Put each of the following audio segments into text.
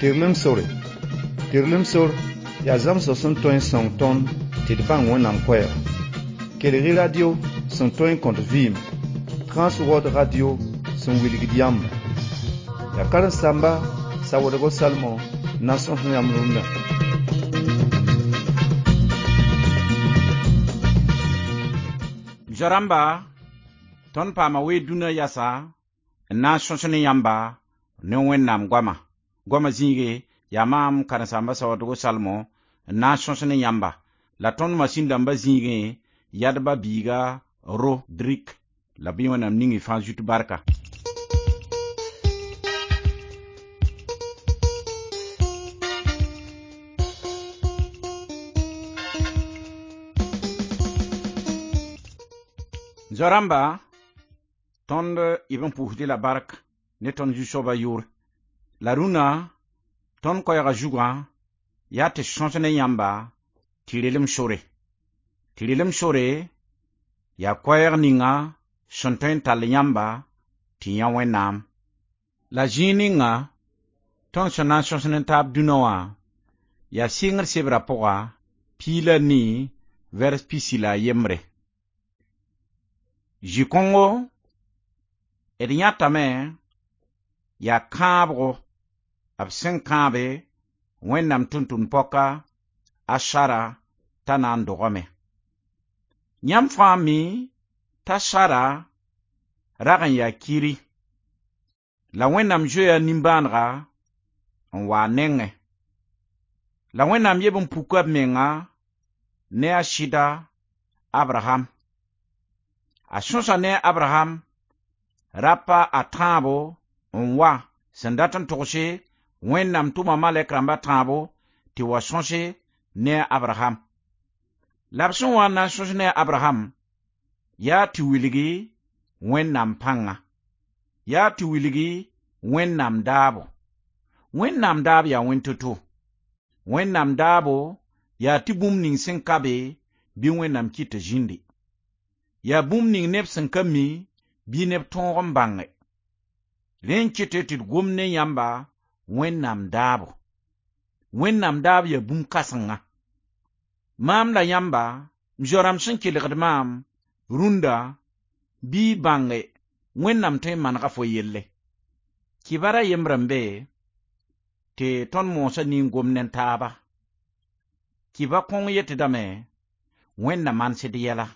Tɩrlem sore. Tɩrlem sor yaa zãmsg sẽn tõe n sõng tõnd tɩ d bãng Wẽnnaam koɛɛga. Kelg-y radio sẽn tõe n kõt vɩɩm, Trans World Radio sẽn wilgd yãmba. Yaa karen-saamba Sawoodgo Salmon n na n sõs yãmb rũndã. Zoa-rãmba, tõnd paama wee dũnã yasa n na n sõs ne yãmba ne Wẽnnaam goama. Goama zĩige yaa maam karen-saamba Sawoodgo Salmon n na n sõs ne yãmba. La tõnd masĩn dãmba zĩigẽ yadba biiga Rodrik la bɩ Wẽnnaam ning y fãa zut barka. Zoa-rãmba, tõnd y b n pʋʋsd la bark ne tõnd Zu-soabã yʋʋre. La rũnã tõnd koɛɛgã zugã yaa tɩ sõs ne yãmba tɩ relem sore. Tɩ relem sore yaa koɛɛg ninga sẽn tõe n tall yãmba tɩ yã Wẽnnaam. La zĩig ninga tõnd sẽn na n sõs ne taab dũnã wã yaa sɩngr sebrã pʋga 14 vɛrs 41. Zĩ-kõngo d yãtame yaa kãabgo b sẽn kãabe Wẽnnaam tʋm-tʋmd-pɔka a Sara t'a na n dogame. Yãmb fãa mi t'a Sara rag n yaa kiri, la Wẽnnaam zoeya nimbãanega n wa a nengẽ. La Wẽnnaam yeb n puka b menga ne a sɩda Abraham. A sõsa ne Abraham rapa a tãabo n wa sẽn dat n togse Wẽnnaam tʋma malɛk rãmba tãabo tɩ wa sõse ne a Abraham. La b sẽn wa n na n sõs ne a Abraham yaa tɩ wilgi Wẽnnaam pãnga, yaa tɩ wilgi Wẽnnaam daabo. Wẽnnaam daab yaa wẽn to-to. Wẽnnaam daabo yaa tɩ bũmb ning sẽn ka be bɩ Wẽnnaam kɩt tɩ zĩndi. Yaa bũmb ning neb sẽn ka mi bɩ neb tõog n bãnge. Rẽ n kɩt tɩ d gom ne yãmba Wẽnnaam daabo. Wẽnnaam daab yaa bũmb kãsenga. Maam la yãmba, m zoa-rãmb sẽn kelgd maam rũndã bɩ y bãnge Wẽnnaam tõe n manega fo yelle. Kibara yembr n be tɩ tõnd moosã nin-gomd ne taaba. Kiba kõng yetdame Wẽnnaam manesd yɛla.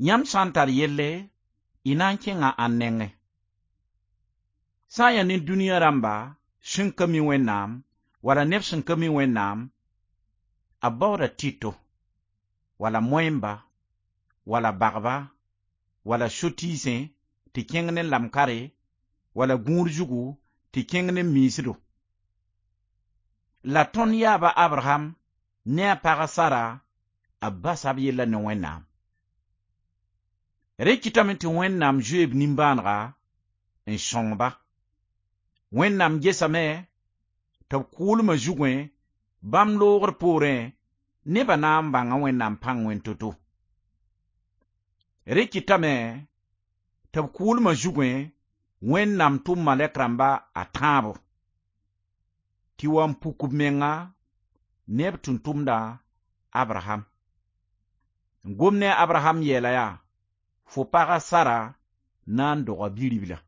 Yãmb sã n tar yelle, y na n kẽnga ãn nengẽ. Sã n yaa ne dũniyã rãmba sẽn ka mi Wẽnnaam wala neb sẽn ka mi Wẽnnaam, a baooda tɩto, wala moẽmba, wala bagba, wala so-tiisẽ tɩ kẽng ne lamkare, wala gũud zugu tɩ kẽng ne miisdo. La tõnd yaaba Abraham ne a pag Sara, a basa b yella ne Wẽnnaam. Rẽ kɩtame tɩ Wẽnnaam zoe b nimbãanega n sõng-ba. Wẽnnaam gesame tɩ b kʋʋlmã zugẽ bãmb loogr poorẽ nebã na n bãnga Wẽnnaam pãng wẽn to-to. Rẽ kɩtame tɩ b kʋʋlmã zugẽ Wẽnnaam tʋm malɛk rãmba a tãabo tɩ wa n puk b menga ne b tʋm-tʋmda Abraham. N gom ne a Abraham yeela yaa fo paga Sara na n doga bi-ribla.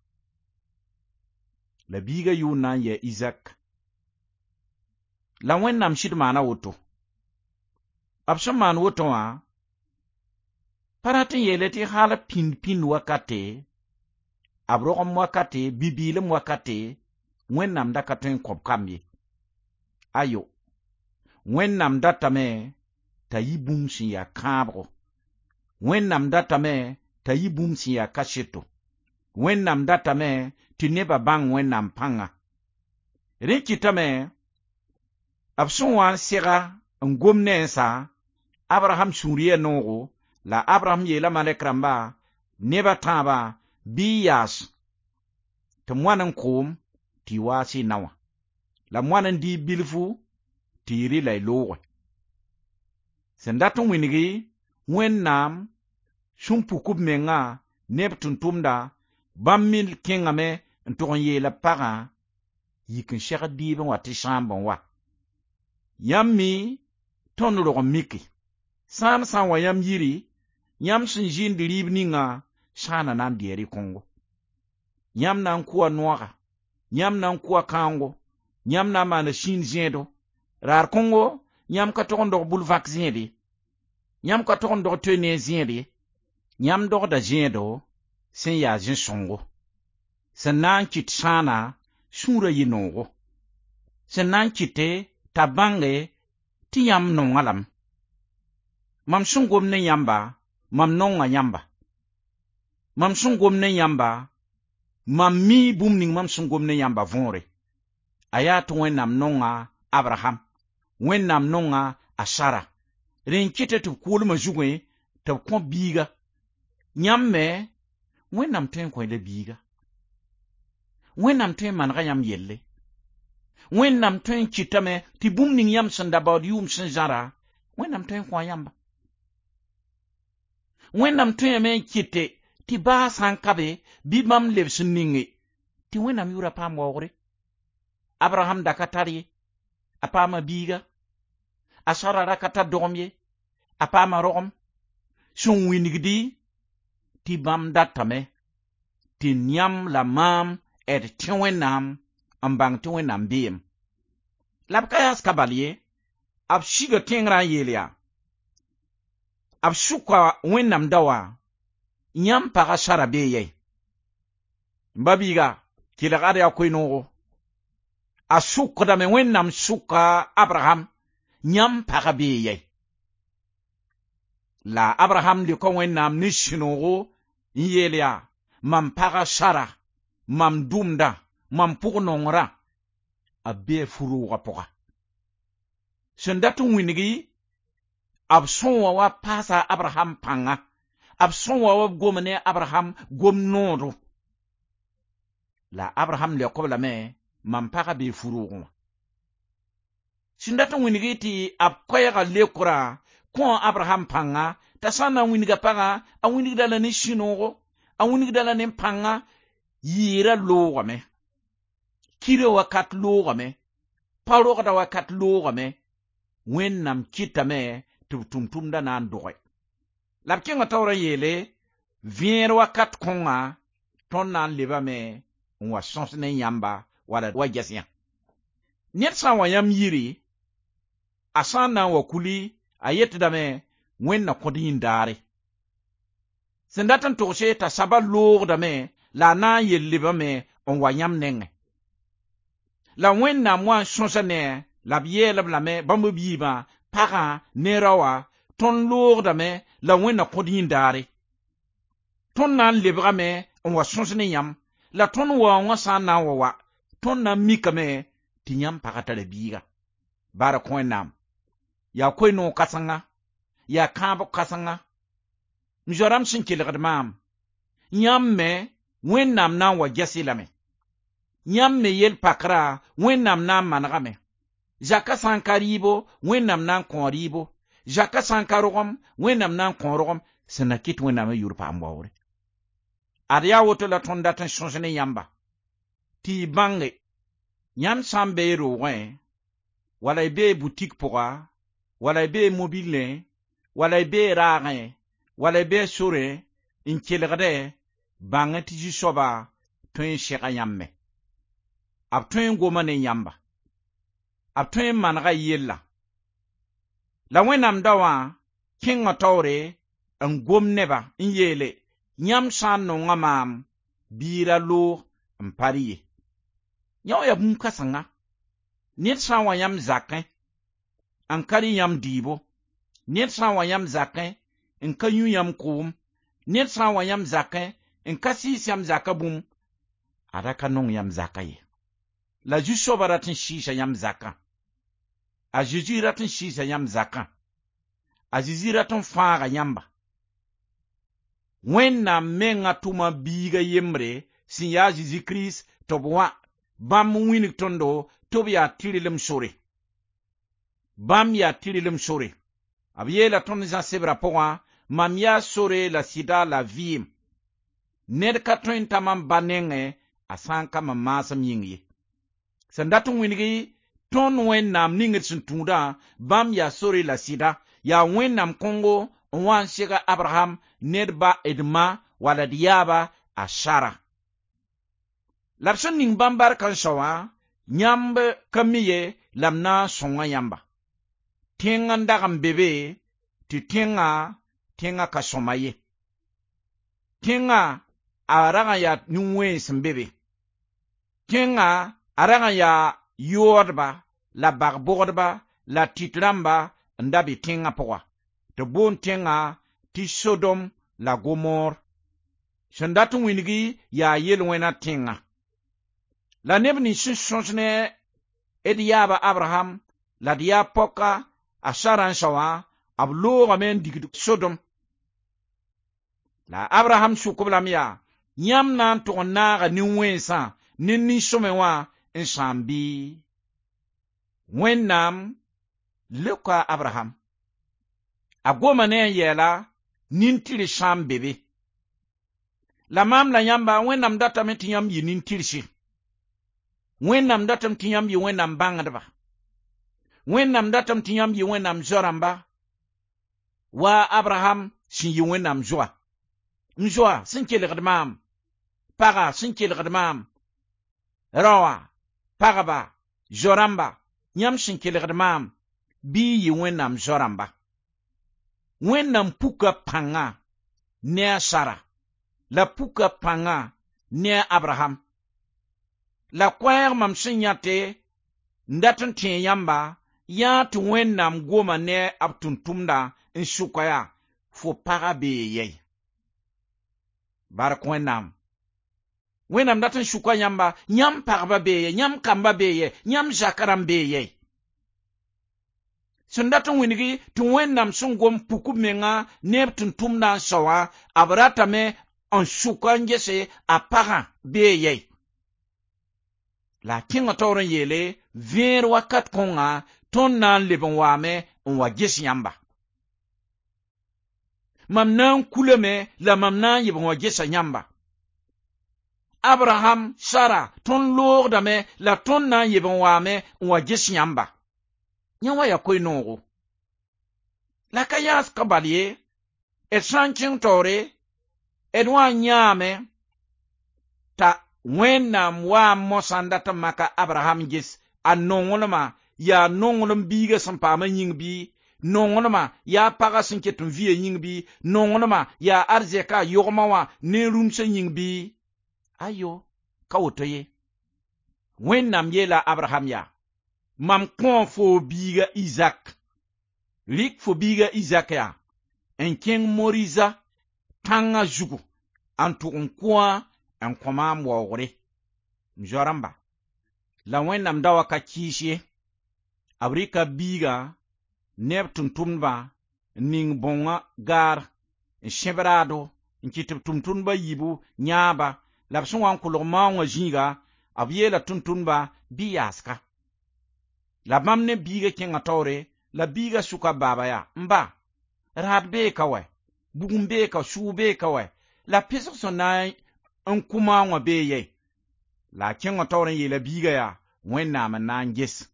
La biiga yʋʋr na n yɩ Izak. La Wẽnnaam sɩd maana woto. B sẽn maan woto wã, pa rat n yeele tɩ hal pĩnd-pĩnd wakate, b rogem wakate, bi-bɩɩlem wakate, Wẽnnaam da ka tõe n kõ b kamb ye. Ayo, Wẽnnaam datame t'a yɩ bũmb sẽn yaa kãabgo. Wẽnnaam datame t'a yɩ bũmb sẽn yaa kaseto. Wẽnnaam datame tɩ nebã bãng Wẽnnaam pãnga. Rẽ kɩtame b sẽn wa n sega n gom ne n sa, Abraham sũur yɛɛ noogo, la Abraham yeela malɛk rãmba neb a tãabã bɩ y yaas tɩ moan n koom tɩ y waas y na wã, la moan n dɩ bilfu tɩ y rɩ la y looge. Sẽn dat n wĩngi Wẽnnaam sẽn puk b mengã ne b tʋm-tʋmda, bãmb me kẽngame n tʋg n yeela pagã Yik n segd dɩɩb n wa tɩ sãamb n wa. Yãmb mi tõnd rog n mike. Sãan sã n wa yãmb yiri, yãmb sẽn zĩnd rɩɩb ninga sãana na n dɩ rɩ-kõngo. Yãmb na n kʋa noaga, yãmb na n kʋa kãongo, yãmb na n maana sĩin zẽedo. Raar kõngo, yãmb ka tog n dog bʋl-vãk zẽed ye. Yãmb ka tog n dog toe ne zẽed ye. Yãmb dogda zẽedo sẽn yaa zẽ-sõngo. Sẽn na n kɩt sãana sũurã yɩ noogo. Sẽn na n kɩte t'a bãnge tɩ yãmb nonga lame. Mam sẽn gom ne yãmba, mam nonga yãmba. Mam sẽn gom ne yãmba, mam mi bũmb ning mam sẽn gom ne yãmba võore. A yaa tɩ Wẽnnaam nonga Abraham, Wẽnnaam nonga a Sara. Rẽ n kɩta tɩ b kʋʋlmã zugẽ tɩ b kõ biiga. Yãmb me, Wẽnnaam tõe n kõ-y la biiga. Wẽnnaam tõe n manega yãmb yelle. Wẽnnaam tõe n kɩtame tɩ bũmb ning yãmb sẽn da baood yʋʋm sẽn zãra, Wẽnnaam tõe n kõ yãmba. Wẽnnaam tõeme n kɩte tɩ baa sã n ka be bɩ bãmb lebs n ninge tɩ Wẽnnaam yʋʋra paam waoogre. Abraham da ka tar ye, a paama biiga. A Sara ra ka tar dogem ye, a paama rogem. Sẽn wĩnigdi tɩ bãmb datame tɩ yãmb la maam d tẽ Wẽnnaam n bãng tɩ Wẽnnaam beem. La b ka yaas ka bal ye, b siga tẽngrã n yeel yaa, b sʋka Wẽnnaam daoã, yãmb pagã Sara bee yɛi. M ba biiga, kelg ad yaa koe-noogo. A sʋkdame Wẽnnaam sʋka Abraham, yãmb pagã bee yɛi. La Abraham leoka Wẽnnaam ne sũ-noogo n yeel yaa, mam pagã Sara, mam dʋmdã, mam pʋg-nongrã, a bee fu-roogã pʋga. Sẽn dat n wĩngi, b sõwa wa paasa Abraham pãnga, b sõwa wa b gom ne Abraham gom noodo. La Abraham leok-b lame, mam pagã bee fu-roogẽ wã. Sẽn dat n wĩngi tɩ b koɛɛgã leokrã kõ Abraham pãnga, t'a sã n na n wĩnga pagã, a wĩnigda la ne sũ-noogo, a wĩnigda la ne pãnga, yɩɩrã loogame, kirã wakat loogame, pa rogda wakat loogame, Wẽnnaam kɩtame tɩ b tʋm-tʋmdã na n doge. La b kẽnga taoor n yeele, vẽer wakat kõnga, tõnd na n lebame n wa sõs ne yãmba wala wa ges yã. Ned sã n wa yãmb yiri, a sã n na n wa kuli, a yetdame Wẽnd na kõt yĩn-daare. Sẽn dat n togse t'a saba loogdame la a na n yel lebame n wa yãmb nengẽ. La Wẽnnaam wa n sõsa ne la b yeel-b lame bãmb b yiibã, pagã ne raoã, tõnd loogdame la Wẽnd na kõt yĩn-daare. Tõnd na n lebgame n wa sõs ne yãmb, la tõnd waoongã sã n na n wa wa, tõnd na n mikame tɩ yãmb pagã tara biiga. Bark Wẽnnaam. Yaa koe-noog kãsenga, yaa kãabg kãsenga. M zoa-rãmb sẽn kelgd maam, yãmb me Wẽnnaam na n wa ges-y lame. Yãmb me yel-pakrã Wẽnnaam na n manegame. Zakã sã n ka rɩɩbo, Wẽnnaam na n kõ rɩɩbo. Zakã sã n ka rogem, Wẽnnaam na n kõ rogem, sẽn na kɩt Wẽnnaam n yʋʋr paam waoogre. Ad yaa woto la tõnd dat n sõs ne yãmba, tɩ y bãnge, yãmb sã n be y roogẽ, wala y bee butik pʋga, wala y bee mobilẽ, wala y bee raagẽ, wala y bee sorẽ, n kelgdẽ, bãng tɩ Zu-soabã tõe n sega yãmb me. B tõe n goma ne yãmba. B tõe n manega y yella. La Wẽnnaam daowã kẽnga taoore n gom neba n yeele, yãmb sã n nonga maam, bɩ y ra loog n pa rɩ ye. Yã wã yaa bũmb kãsenga. Ned sã n wa yãmb zakẽ, n ka rɩ yãmb dɩɩbo, ned sã n wa yãmb zakẽ, n ka yũ yãmb koom, ned sã n wa yãmb zakẽ, n ka sɩɩs yãmb zakã bũmb, a ra ka nong yãmb zakã ye. La Zu-soabã rat n sɩɩsa yãmb zakã. A Zezi rat n sɩɩsa yãmb zakã. A Zezi rat n fãaga yãmba. Wẽnnaam menga tʋma biiga yembre sẽn yaa Zezi Kirist tɩ b wã, bãmb n wĩnig tõndo tɩ b yaa tɩrlem sore. Bãmb yaa tɩrlem sore. B yeela tõnd Zã sebrã pʋgã, mam yaa sore la sɩda la vɩɩm. Ned ka tõe n ta mam ba nengẽ a sã n ka mam maasem yĩng ye. Sẽn dat n wĩngi tõnd Wẽnnaam ning d sẽn tũudã, bãmb yaa sore la sɩda, yaa Wẽnnaam kõngo n wa n sega Abraham ne d ba d ma wala d yaaba a Sara. La b sẽn ning bãmb bark n sao wã, yãmb ka mi ye la m na n sõnga yãmba. Tẽng n dag n be be tɩ tẽngã ka sõma ye. Tẽngã a rag n yaa nin-wẽns n be be. Tẽngã a rag n yaa yoodba la bag-bogdba la tɩt rãmba n da be tẽngã pʋga. Tɩ b boond tẽngã tɩ Sodom la Gomor. Sẽn dat n wĩngi yaa yel-wẽna tẽngã. La neb nins sẽn sõs ne d yaaba Abraham la d yaab pɔka a Sara n sao wã, b loogame n digd Sodom. La Abraham sʋk-b lame yaa, yãmb na n tʋg n naaga nin-wẽnsã ne nin-sõme wã n sãam bɩ? Wẽnnaam leoka Abraham. A goma ne a yɛɛla nin-tɩrs sã n be be. La maam la yãmba, Wẽnnaam datame tɩ yãmb yɩ nin-tɩrse. Wẽnnaam datame tɩ yãmb yɩ Wẽnnaam bãngdba. Wẽnnaam datame tɩ yãmb yɩ Wẽnnaam zoa-rãmba. Wa Abraham sẽn yɩ Wẽnnaam zoa. M zoa sẽn kelgd maam, paga sẽn kelgd maam, raoã, pagba, zo-rãmba, yãmb sẽn kelgd maam, bɩ y yɩ Wẽnnaam zo-rãmba. Wẽnnaam puka pãnga ne a Sara, la puka pãnga ne a Abraham. La koɛɛg mam sẽn yãte n dat n tẽe yãmba, yaa tɩ Wẽnnaam goma ne b tʋm-tʋmdã n sʋka yaa, fo pagã bee yɛi. Bark Wẽnnaam. Wẽnnaam dat n sʋka yãmba, yãmb pagba bee yɛ, yãmb kamba bee yɛ, yãmb zakã rãmb bee yɛi. Sẽn dat n wĩngi tɩ Wẽnnaam sẽn gom puk b menga ne b tʋm-tʋmdã n sao wã, b ratame n sʋka n gese a pagã bee yɛi. La a kẽngã taoor n yeele, vẽer wakat kõnga tõnd na n leb n waame n wa ges yãmba. Mam na n kulame la mam na n yeb n wa gesa yãmba. Abraham, Sara, tõnd loogdame la tõnd na n yeb n waame n wa ges yãmba. Yã wa yaa koe-noogo. La ka yãas ka bal ye, d sã n kẽng taoore, d wa n yãame t'a Wẽnnaam waa mosã n dat n maka Abraham ges a nonglmã yaa nonglem biigã sẽn paam a yĩng bɩ, nonglmã yaa pagã sẽn ket n vɩ a yĩng bɩ, nonglmã yaa arzɛka a yogmã wã ne rũmsã yĩng bɩ. Ayo, ka woto ye. Wẽnnaam yeela Abraham yaa, mam kõo fo biiga Izak, rɩk fo biiga Izak yaa, n kẽng Moriza tãngã zugu n tʋg n kʋ n kõ maam waoogre. M zoa-rãmba, la Wẽnnaam da wa ka kɩɩs ye. B rɩka biigã ne b tʋm-tʋmdbã n ning bõngã gaar n sẽb raado n kɩt b tʋm-tʋmdbã yiibu yãaba, la b sẽn wa n kolg maoongã zĩiga, b yeela tʋm-tʋmdbã bɩ yaaska. La bãmb ne biigã kẽngã taoore, la biigã sʋka baaba yaa, n ba, raad bee ka wɛ, bugum bee ka, sʋʋg bee ka wɛ, la pesg sẽn na n kʋ maoongã bee yɛi. La a kẽngã taoor n yeela biigã yaa, Wẽnnaam n na n ges.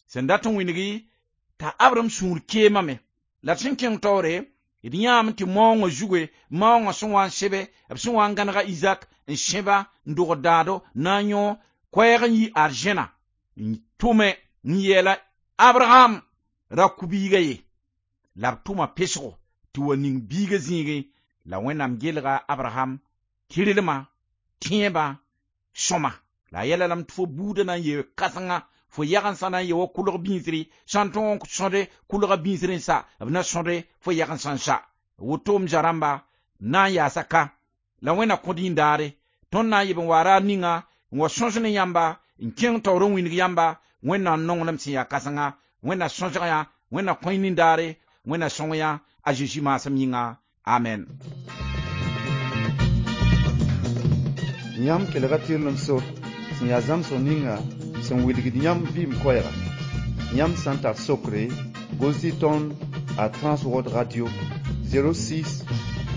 Sẽn dat n wĩngi t'a Abraham sũur keemame. La d sẽn kẽng taoore, d yãame tɩ maoongã zuge, maoongã sẽn wa n sebe, b sẽn wa n gãnega Izak n sẽba n dogd daado na n yõ koɛɛg n yi arzẽna n tʋme n yeela Abraham ra kʋ biigã ye. La b tʋma pesgo tɩ wa ning biigã zĩigẽ, la Wẽnnaam gelga Abraham tɩrlmã, tẽebã, sõma. La a yɛla lame tɩ fo buudã na n yee kãsenga, fo yagensã na n yee wa kʋlg bĩisri, sã n tõog n sõde kʋlga bĩisr n sa, b na sõde fo yagensã n sa. Woto m zoa-rãmba na n yaasa ka, la Wẽnna kõd yĩndaare, tõnd na n yeb n wa raar ninga n wa sõs ne yãmba, n kẽng taoor n wĩneg yãmba, Wẽnnaam nonglem sẽn yaa kãsenga, Wẽnna sõsg yã, Wẽnna kõ y nindaare, Wẽnna sõng yã, a Zeezi maasem yĩnga. Amen. Yãmb kelga tɩrlem sor sẽn yaa zãmsg ninga sẽn wilgd yãmb vɩɩm koɛɛga. Yãmb sã n tar sokre, gos-y tõnd a Transworld Radio 06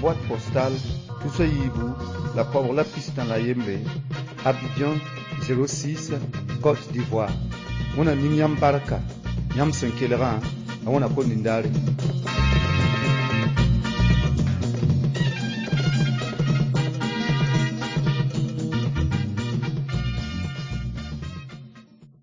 boîte postale 3 la 201 Abidjan 06, Côte d'Ivoire. Wẽnnaam ning yãmb barka, yãmb sẽn kelgã, a wẽna ko nindaare.